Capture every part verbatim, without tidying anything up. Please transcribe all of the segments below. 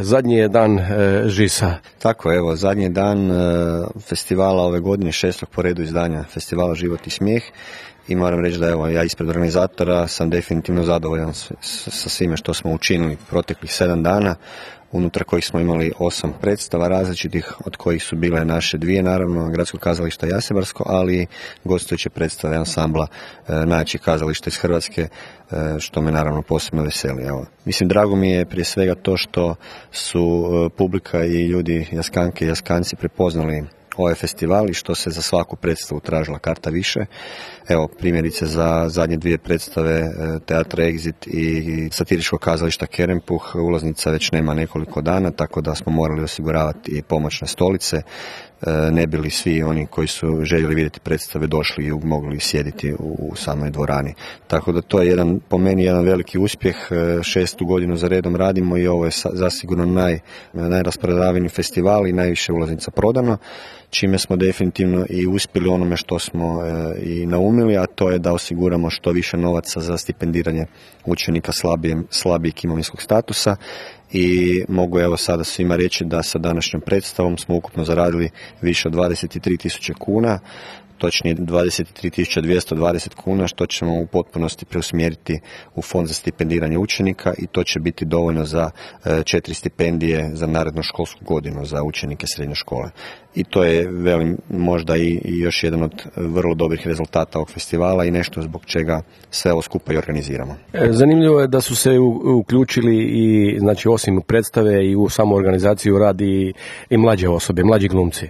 Zadnji je dan e, Žisa. Tako, evo, zadnji dan e, festivala ove godine, šestog po redu izdanja festivala Život i smijeh. I moram reći da evo, ja ispred organizatora sam definitivno zadovoljan s, s, sa svime što smo učinili proteklih sedam dana, unutar kojih smo imali osam predstava različitih, od kojih su bile naše dvije, naravno, Gradsko kazalište Jasebarsko, ali i gostujuće predstave ansambla e, najjačih kazališta iz Hrvatske, e, što me naravno posebno veseli. Evo. Mislim, drago mi je prije svega to što su e, publika i ljudi, jaskanke i jaskanci, prepoznali ovaj festival i što se za svaku predstavu tražila karta više. Evo, primjerice za zadnje dvije predstave Teatra Exit i satiričkog kazališta Kerempuh ulaznica već nema nekoliko dana, tako da smo morali osiguravati i pomoćne stolice, ne bili svi oni koji su željeli vidjeti predstave došli i mogli sjediti u samoj dvorani. Tako da to je jedan, po meni jedan veliki uspjeh, šestu godinu za redom radimo i ovo je zasigurno naj, najrasprodavaniji festival i najviše ulaznica prodano, čime smo definitivno i uspjeli onome što smo e, i naumili, a to je da osiguramo što više novaca za stipendiranje učenika slabije, slabijeg imovinskog statusa. I mogu evo sada svima reći da sa današnjom predstavom smo ukupno zaradili više od dvadeset tri tisuće kuna, točnije dvadeset tri tisuće dvjesto dvadeset kuna, što ćemo u potpunosti preusmjeriti u fond za stipendiranje učenika i to će biti dovoljno za četiri stipendije za narednu školsku godinu za učenike srednje škole. I to je, velim, možda i, i još jedan od vrlo dobrih rezultata ovog festivala i nešto zbog čega sve ovo skupa i organiziramo. Zanimljivo je da su se uključili i, znači, osim predstave i u samu organizaciju radi i mlađe osobe, mlađi glumci.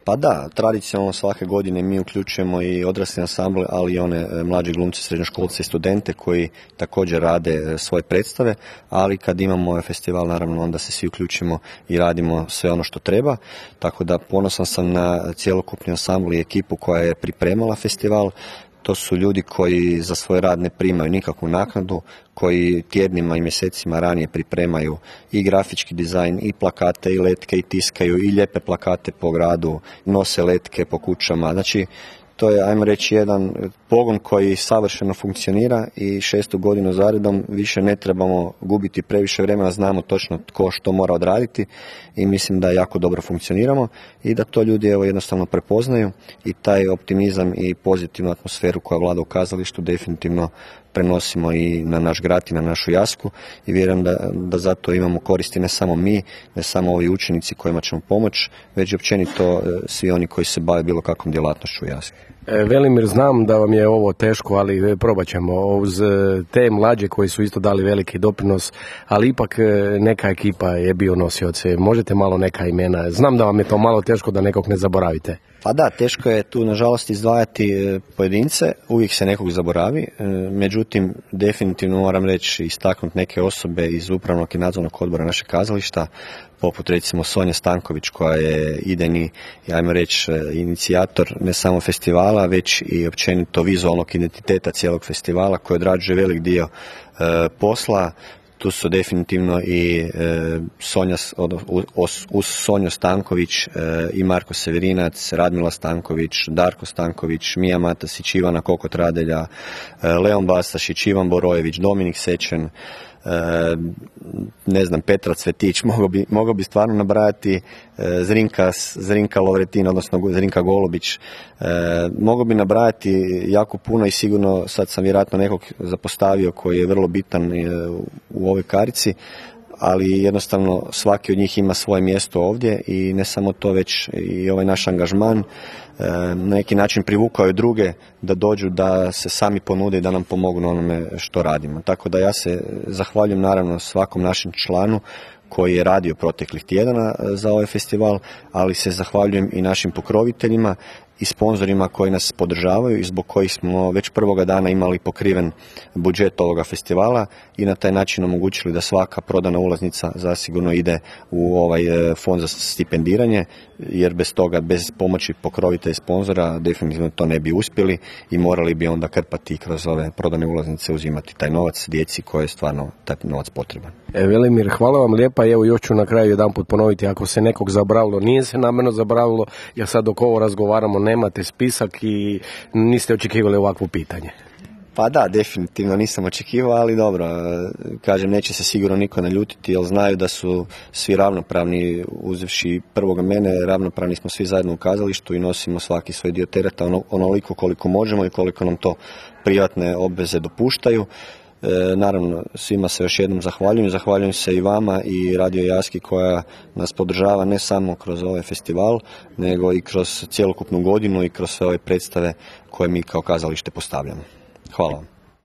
Pa da, tradicionalno svake godine mi uključujemo i odrasle ansamble, ali i one mlađe glumce, srednjoškolce i studente koji također rade svoje predstave, ali kad imamo ovaj festival, naravno, onda se svi uključimo i radimo sve ono što treba, tako da ponosan sam na cjelokupni ansambl i ekipu koja je pripremala festival. To su ljudi koji za svoj rad ne primaju nikakvu naknadu, koji tjednima i mjesecima ranije pripremaju i grafički dizajn, i plakate, i letke, i tiskaju, i lijepe plakate po gradu, nose letke po kućama. Znači, to je, ajmo reći, jedan pogon koji savršeno funkcionira i šestu godinu zaredom više ne trebamo gubiti previše vremena, znamo točno tko što mora odraditi i mislim da jako dobro funkcioniramo i da to ljudi evo jednostavno prepoznaju i taj optimizam i pozitivnu atmosferu koja vlada u kazalištu definitivno prenosimo i na naš grad i na našu Jasku i vjerujem da, da zato imamo koristi ne samo mi, ne samo ovi učenici kojima ćemo pomoći, već i općenito svi oni koji se bave bilo kakvom djelatnošću u Jasku. Velimir, znam da vam je ovo teško, ali probat ćemo uz te mlađe koji su isto dali veliki doprinos, ali ipak neka ekipa je bio nosioce. Možete malo neka imena? Znam da vam je to malo teško da nekog ne zaboravite. Pa da, teško je tu nažalost izdvajati pojedince, uvijek se nekog zaboravi, međutim definitivno moram reći istaknuti neke osobe iz upravnog i nadzornog odbora našeg kazališta, poput recimo Sonja Stanković koja je idejni, ajmo reći, inicijator ne samo festivala, već i općenito vizualnog identiteta cijelog festivala koji odrađuje velik dio e, posla. Tu su definitivno i e, Sonja, uz, uz Sonju Stanković e, i Marko Severinac, Radmila Stanković, Darko Stanković, Mija Matasić, Ivana Kokot Radelja, e, Leon Bastašić, Ivan Borojević, Dominik Sečen, E, ne znam, Petra Cvetić, mogao bi, mogao bi stvarno nabrajati e, Zrinka, Zrinka Lovretin, odnosno Zrinka Golubić, e, mogao bi nabrajati jako puno i sigurno sad sam vjerojatno nekog zapostavio koji je vrlo bitan e, u ovoj karici, ali jednostavno svaki od njih ima svoje mjesto ovdje i ne samo to, već i ovaj naš angažman na neki način privukao je druge da dođu, da se sami ponude i da nam pomogu na onome što radimo. Tako da ja se zahvaljujem naravno svakom našem članu koji je radio proteklih tjedana za ovaj festival, ali se zahvaljujem i našim pokroviteljima i sponzorima koji nas podržavaju i zbog kojih smo već prvoga dana imali pokriven budžet ovoga festivala i na taj način omogućili da svaka prodana ulaznica zasigurno ide u ovaj fond za stipendiranje, jer bez toga, bez pomoći pokrovitelja i sponzora definitivno to ne bi uspjeli i morali bi onda krpati kroz ove prodane ulaznice, uzimati taj novac djeci koje je stvarno taj novac potreban. E, Velimir, hvala vam lijepa i evo još ću na kraju jedan put ponoviti, ako se nekog zaboravilo, nije se namjerno zaboravilo, jer sad dok ovo razgovaramo nemate spisak i niste očekivali ovakvo pitanje. Pa da, definitivno nisam očekivao, ali dobro, kažem, neće se sigurno niko naljutiti, jer znaju da su svi ravnopravni, uzevši prvoga mene, ravnopravni smo svi zajedno u kazalištu i nosimo svaki svoj dio tereta ono, onoliko koliko možemo i koliko nam to privatne obveze dopuštaju. E, naravno, svima se još jednom zahvaljujem, zahvaljujem se i vama i Radio Jaski koja nas podržava ne samo kroz ovaj festival, nego i kroz cjelokupnu godinu i kroz sve ove predstave koje mi kao kazalište postavljamo. Hvala vam.